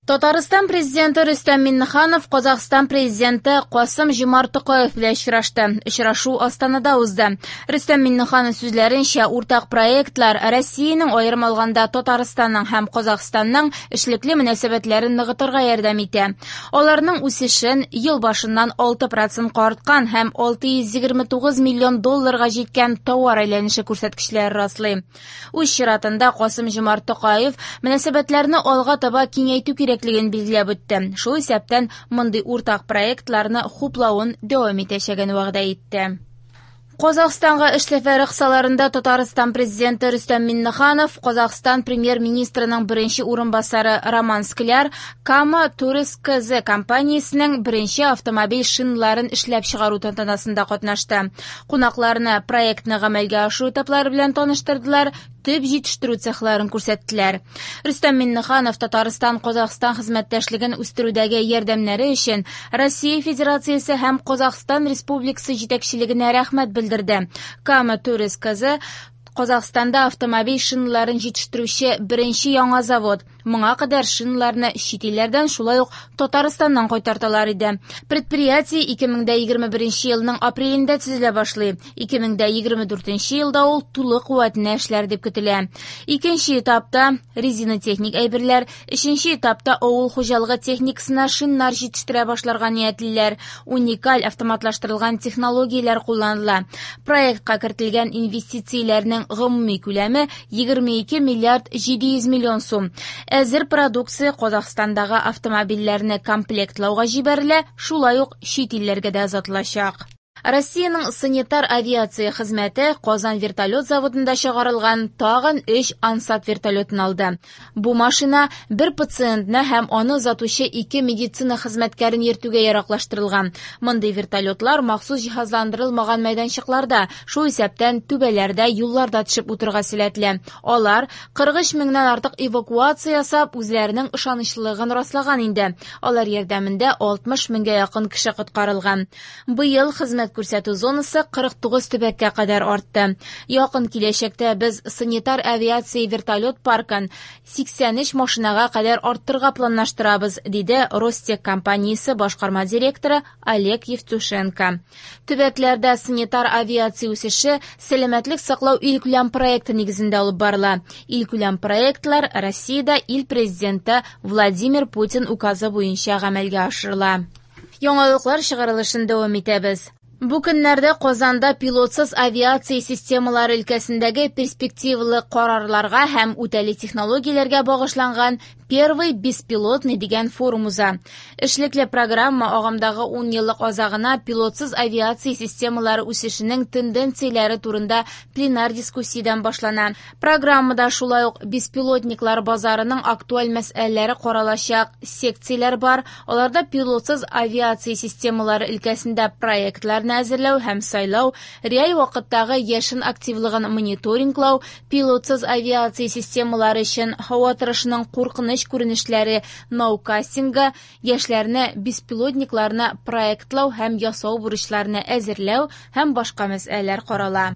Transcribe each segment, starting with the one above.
Татарстан Президенты Рөстәм Миңнеханов Казахстан Президенты Касым-Җомарт Токаев белән очрашты. Очрашу Астанада узды. Рөстәм Миңнеханов сүзләренчә, уртак проектлар Россиянең, аерым алганда Татарстанның һәм Казахстанның эшлекле мөнәсәбәтләрен ныгытырга ярдәм итә. Аларның үсешен ел башыннан 6 процентка арткан һәм 629 миллион долларга җиткән товар әйләнеше күрсәткечләре раслый. Үз чиратында Касым-Җомарт Токаев мөнәсәбәтләрне алга таба киңәйтү кирәклеген билгеләп үтте. Шул исәптән мондый уртак проектларны хуплавын дәвам итәчәген вәгъдә итте. Казахстанга эш сәфәре кысаларында Татарстан Президенты Рөстәм Миңнеханов, Казахстан Премьер-министрының беренче урынбасары Роман Скляр Кама Турист КЗ компаниясенең беренче автомобиль шиналарын эшләп чыгару тантанасында катнашты. Кунакларны проектны гамәлгә ашыру этаплары белән таныштырдылар, төп җитештерү цехларын күрсәттеләр. Рөстәм Миңнеханов Татарстан-Казахстан хезмәттәшлеген үстерүдәге ярдәмнәре өчен Россия Федерациясе һәм Казахстан Республикасы җитәкчелегенә рәхмәт белдерде. Кама Турист КЗ Казахстанда автомобиль шиналарын җитештерүче беренче яңа завод. Моңа кадәр шиналарны чит илләрдән, шулай ук Татарстаннан кайтарталар иде. Предприятие 2021 елның апрелендә төзелә башлый. 2024 елда ул тулы куәтенә эшләр дип көтелә. Икенче этапта резина-техник әйберләр, өченче этапта авыл хуҗалыгы техникасына шиннар җитештерә башларга ниятлиләр. Уникаль автоматлаштырылган технологияләр кулланыла. Проектка кертелгән инвестицияләрнең гомуми күләме 22 миллиард 700 миллион сум. Әзер продукция Казахстандагы автомобильләрне комплектлауга җибәрелә, шулай ук чит илләргә дә озатылачак. Россиянең санитар авиация хезмәте Казан вертолет заводында чыгарылган тагын 3 Ансат вертолетын алды. Бу машина бер пациентны һәм аны озатучы ике медицина хезмәткәрен йөртүгә яраклаштырылган. Мондый вертолетлар махсус җиһазландырылмаган мәйданчыкларда, шул исәптән түбәләрдә, юлларда төшеп утырырга сәләтле. Алар 43 меңнән артык эвакуация ясап, үзләренең ышанычлылыгын раслаган инде. Алар ярдәмендә 60 меңгә якын кеше коткарылган. Быел хезмәт күрсәтү зонасы 49 төбәккә кадәр артты. Якын киләчәктә без санитар авиация вертолет паркын 83 машинага кадәр арттырырга планлаштырабыз, диде Ростех компаниясе башкарма директоры Олег Евтушенко. Төбәкләрдә санитар авиация үсеше сәламәтлек саклау илкүләм проекты нигезендә алып барыла. Илкүләм проектлар Россиядә ил президенты Владимир Путин указы буенча гамәлгә ашырыла. Яңалыклар чыгарылышын дәвам итәбез. Бу көннәрдә Казанда пилотсыз авиация системалары өлкәсендәге перспективалы карарларга һәм үтәли технологияләргә багышланган Первый беспилотный дигән форум уза. Эшлекле программа агымдагы 10 еллык азагына пилотсыз авиация системалары үсешенең тенденцияләре турында пленар дискуссиядән башлана. Программада шулай ук беспилотниклар базарының актуаль мәсьәләләре каралачак секцияләр бар. Аларда пилотсыз авиация системалары өлкәсендә проектларны әзерләү һәм сайлау, реаль вакыттагы яшен активлыгын мониторинглау, пилотсыз авиация системалары өчен һава торышының куркыныч күренешләре ноукастингы, яшьләрне беспилотникларны проектлау һәм ясау бурычларны әзерләү һәм башка мәсьәләләр карала.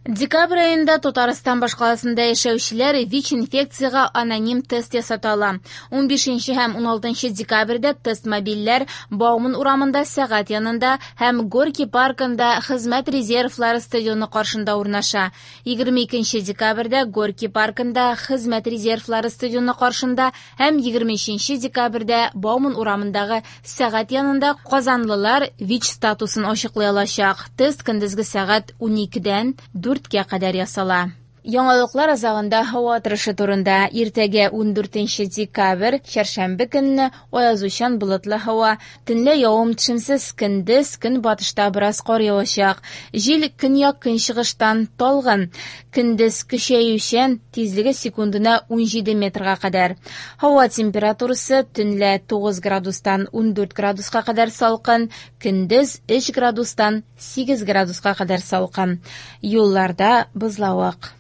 Декабрь аенда Татарстан башкаласында яшәүчеләр ВИЧ-инфекциягә аноним тест ясата ала. 15 һәм 16 декабрьдә тест мобильләр Бауман урамында сәгать янында һәм Горький паркында хезмәт резервлары стадионы каршында урнаша. 22 декабрьдә Горький паркында хезмәт резервлары стадионы каршында һәм 23 декабрьдә Бауман урамындагы сәгать янында казанлылар ВИЧ статусын ачыклый алачак. Тест көндезге сәгать 12-дән 4-кә кадәр ясала. Яңалыклар азагында һава торышы турында. Иртәгә 14 декабрь, чәршәмбе көнне аязучан болытлы һава, төнлә явым-төшемсез, көндез көнбатышта бераз кар явачак. Җил көньяк-көнчыгыштан талгын, көндез көчәючән, тизлеге секундына 17 метрга кадәр. Һава температурасы төнлә 9 градустан 14 градуска кадәр салкын, көндез 3 градустан 8 градуска кадәр салкын. Юлларда бозлавык.